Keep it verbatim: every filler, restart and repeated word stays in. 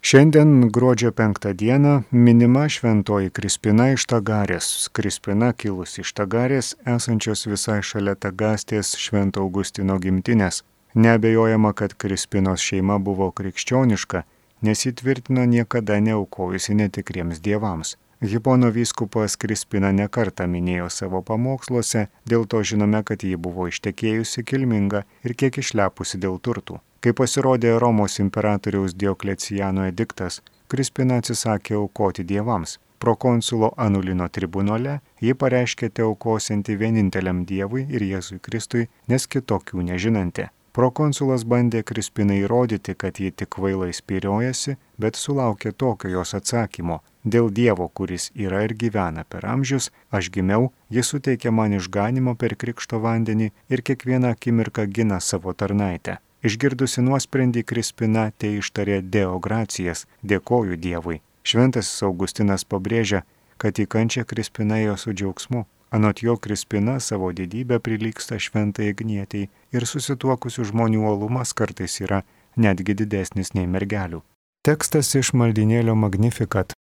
Šiandien gruodžio penktą dieną minima šventoji Krispina iš Tagarės. Krispina kilusi iš Tagarės, esančios visai šalia Tagastės Švento Augustino gimtinės. Neabejojama, kad Krispinos šeima buvo krikščioniška, nes ji tvirtino niekada neaukojusi netikriems dievams. Hipono vyskupas Krispina nekartą minėjo savo pamoksluose, dėl to žinome, kad ji buvo ištekėjusi, kilminga ir kiek išlepusi dėl turtų. Kai pasirodė Romos imperatoriaus Diokleciano ediktas, Krispina atsisakė aukoti dievams. Prokonsulo Anulino tribunole ji pareiškė teaukosianti vieninteliam dievui ir Jėzui Kristui, nes kitokių nežinanti. Prokonsulas bandė Krispinai įrodyti, kad ji tik kvailai spyriojasi, bet sulaukė tokio jos atsakymo: dėl Dievo, kuris yra ir gyvena per amžius, aš gimiau, jis suteikė man išganimo per krikšto vandenį ir kiekvieną akimirką gina savo tarnaitę. Išgirdusi nuosprendį, Krispina te ištarė Deo gracijas, dėkoju Dievui. Šventasis Augustinas pabrėžia, kad į kančią Krispina ėjo su džiaugsmu. Anot jo, Krispina savo didybę prilygsta šventai Agnietei ir susituokusių žmonių uolumas kartais yra netgi didesnis nei mergelių. Tekstas iš maldynėlio Magnificat.